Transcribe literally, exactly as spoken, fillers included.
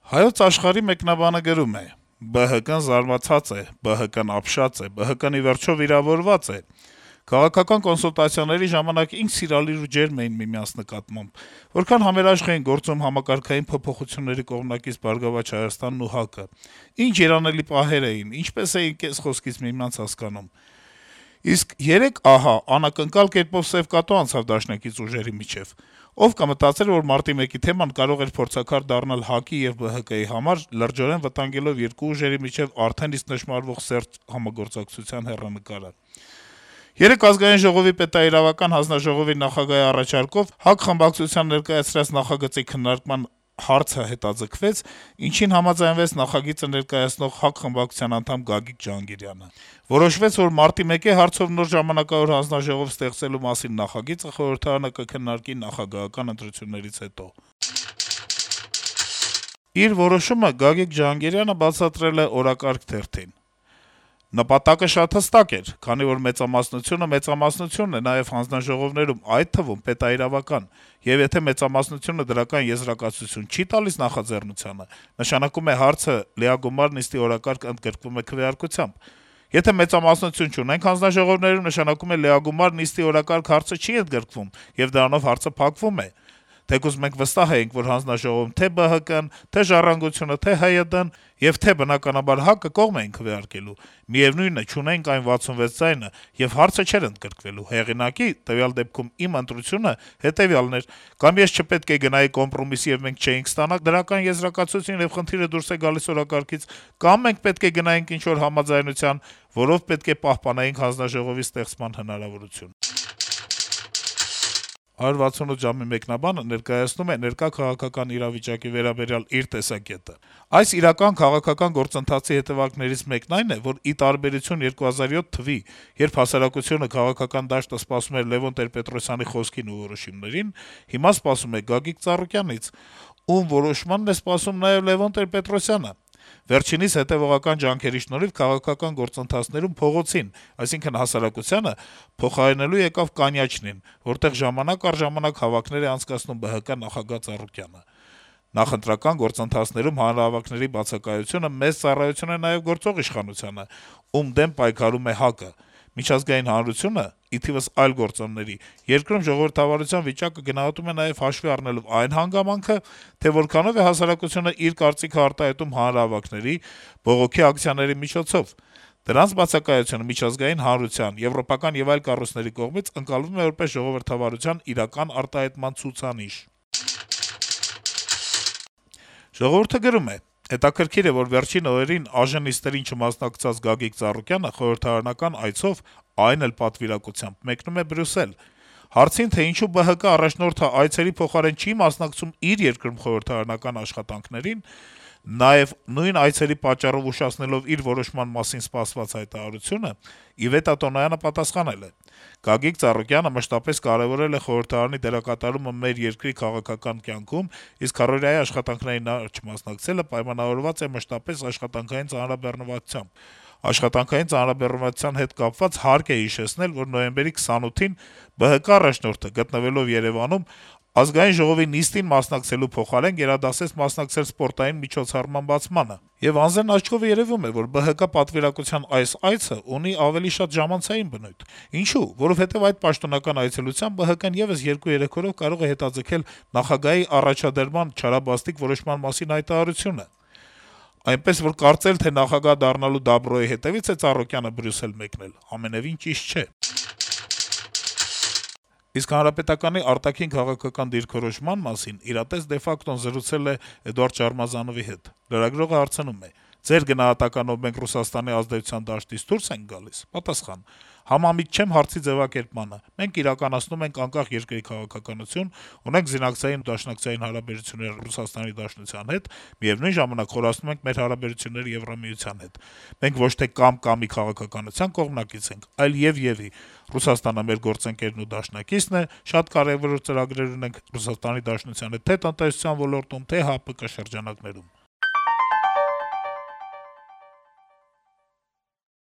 Հայոց Աշխարհի մեկնաբանը գրում է. - «Բը հը կն զարմացած է, Բը հը կն ապշած է, Բը հը կն ի վերջո վիրավորված է»: Քաղաքական կոնսուլտացիաների ժամանակ ինձ սիրալիր ու ջերմ էին միմյանց նկատմամբ: Որքան համերաշխ էին գործում համակարգային փոփոխությունների կողմնակից «Բարգավաճ Հայաստանն» ու ՀԱԿ-ը: Ինչ երանելի պահեր էին, ինչպես էին կես խոսքից միմյանց հասկանում: Իսկ երեկ, ահա, անակնկալ կերպով սեւ կատու անցավ դաշնակից ուժերի միջեւ: Ով կմտածեր, որ մարտի մեկի թեման կարող էր փորձաքար դառնալ ՀԱԿ-ի եւ ԲՀԿ-ի համար` լրջորեն վտանգելով երկու ուժերի միջեւ արդեն իսկ նշմարվող սերտ համագործակցության հեռանկարը: Երեկ Ազգային ժողովի պետաիրավական հանձնաժողովի նախագահի առաջարկով ՀԱԿ խմբակցության ներկայացրած նախագծի քննարկման հարցը հետաձգվեց, ինչին համաձայնվեց նախագիծը ներկայացնող ՀԱԿ խմբակցության անդամ Գագիկ Ջհանգիրյանը: Որոշվեց, որ մարտի մեկի հարցով նոր ժամանակավոր հանձնաժողով ստեղծելու մասին նախագիծը խորհրդարանը կքննարկի նախագահական ընտրություններից հետո»: Իր որոշումը Գագիկ Ջհանգիրյանը բացատրել է «Օրակարգ» թերթին. - «Նպատակը շատ հստակ էր, քանի որ մեծամասնությունը մեծամասնություն է նաեւ հանձնաժողովներում, այդ թվում` պետաիրավական, եւ եթե մեծամասնությունը դրական եզրակացություն չի տալիս նախաձեռնությանը, նշանակում է հարցը լիագումար նիստի օրակարգ ընդգրկվում է քվեարկությամբ: Եթե մեծամասնություն չունենք հանձնաժողովներում, նշանակում է լիագումար նիստի օրակարգ հարցը չի ընդգրկվում, եւ դրանով հարցը փակվում է: Թեկուզ մենք վստահ էինք, որ հանձնաժողովում թե ԲՀԿ-ն, թե «Ժառանգությունը», թե ՀՅԴ-ն եւ թե, բնականաբար, ՀԱԿ-ը կողմ էին քվեարկելու: Միեւնույն է, չունեինք այն վաթսունվեց ձայնը, եւ հարցը չէր ընդգրկվելու: Հեղինակի` տվյալ դեպքում իմ ընտրությունը, հետեւյալն էր. կամ ես չպետք է գնայի կոմպրոմիսի, եւ մենք չէինք ստանա դրական եզրակացություն, եւ խնդիրը դուրս է գալիս օրակարգից, կամ մենք պետք է գնայինք ինչ-որ համաձայնության, որով պետք է պահպանեինք հանձնաժողովի ստեղծման հնարավորությունը»: «հարյուր վաթսունութ ժամ»-ի մեկնաբանը ներկայացնում է ներկա քաղաքական իրավիճակի վերաբերյալ իր տեսակետը. - «Այս իրական քաղաքական գործընթացի հետեւանքներից մեկն այն է, որ, ի տարբերություն երկու հազար յոթ թվականի, երբ հասարակությունը, քաղաքական դաշտը սպասում էր Լեւոն Տեր-Պետրոսյանի խոսքին ու որոշումներին, հիմա սպասում է Գագիկ Ծառուկյանից, ում որոշմանն է սպասում նաեւ Լեւոն Տեր-Պետրոսյանը: Վերջինիս հետեւողական ջանքերի շնորհիվ քաղաքական գործընթացներում փողոցին, այսինքն հասարակությանը, փոխարինելու եկավ կանյաչնին, որտեղ ժամանակ առ ժամանակ հավաքներ է անցկացնում ԲՀԿ նախագահ Ծառուկյանը: Նախընտրական գործընթացներում հանրահավաքների բացակայությունը մեծ ծառայություն է նաեւ գործող իշխանությանը, ում դեմ պայքարում է ՀԱԿ-ը: Միջազգային հանրությունը, ի թիվս այլ գործոնների, երկրում ժողովրդավարության վիճակը գնահատում է նաեւ հաշվի առնելով այն հանգամանքը, թե որքանով է հասարակությունը իր կարծիքը արտահայտում հանրահավաքների, բողոքի ակցիաների միջոցով: Դրանց բացակայությունը միջազգային հանրության, եվրոպական եւ այլ կառույցների կողմից ընկալվում է որպես ժողովրդավարության իրական արտահայտման ցուցանիշ»: «Ժողովուրդ»-ը գրում է. - «Հետաքրքիր է, որ վերջին օրերին ԱԺ նիստերին չմասնակցած Գագիկ Ծառուկյանը խորհրդարանական այցով, այն էլ պատվիրակությամբ, մեկնում է Բրյուսել: Հարցին, թե ինչու ԲՀԿ առաջնորդը այցերի փոխարեն չի մասնակցում իր երկրում խորհրդարանական աշխատանքներին, նաեւ նույն այցերի պատճառով ուշացնելով իր որոշման մասին սպասված հայտարարությունը, Իվետա Տոնոյանը պատասխանել է. «Գագիկ Ծառուկյանը մշտապես կարեւորել է խորհրդարանի դերակատարումը մեր երկրի քաղաքական կյանքում, իսկ քառօրյայի աշխատանքներին նրա չմասնակցելը պայմանավորված է մշտապես աշխատանքային ծանրաբեռնվածությամբ: Աշխատանքային ծանրաբեռնվածության հետ կապված հարկ է հիշեցնել, որ նոյեմբերի քսանութին ԲՀԿ առաջնորդը, գտնվելով Երեւանում, Ազգային ժողովի նիստին մասնակցելու փոխարեն գերադասեց մասնակցել սպորտային միջոցառման բացմանը: Եվ անզեն աչքով երեւում է, որ ԲՀԿ պատվիրակության այս այցը ունի ավելի շատ ժամանցային բնույթ: Ինչո՞ւ: Որովհետեւ այդ պաշտոնական այցելությամբ ԲՀԿ-ն եւս երկու-երեք օրով կարող է հետաձգել նախագահի առաջադրման չարաբաստիկ որոշման մասին հայտարարությունը: Այնպես որ կարծել, թե նախագահ դառնալու դաբրոյի հետեւից է Ծառուկյանը Բրյուսել մեկնել, ամենեւին ճիշտ չէ»: Իսկ Հանրապետականի արտաքին քաղաքական դիրքորոշման մասին «Իրատես de facto»-ն զրուցել է Էդուարդ Շարմազանովի հետ: Լրագրողը հարցնում է. - «Ձեր գնահատականով մենք Ռուսաստանի ազդեցության դաշտից դուրս ենք գալի՞ս»: Պատասխան. - «Համամիտ չեմ հարցի ձեւակերպմանը: Մենք իրականացնում ենք անկախ երկրի քաղաքականություն, ունենք զինակցային ու դաշնակցային հարաբերություններ Ռուսաստանի Դաշնության հետ, միեւնույն ժամանակ խորացնում ենք մեր հարաբերությունները Եվրամիության հետ: Մենք ոչ թե կամ-կամի քաղաքականության կողմնակից ենք, այլ եւ-եւի: Ռուսաստանը մեր գործընկերն ու դաշնակիցն է, շատ կարեւոր ծրագրեր ունենք Ռուսաստանի Դաշնության հետ թե՛ տնտեսության ոլորտում, թե՛ ՀԱՊԿ շրջանակներում»: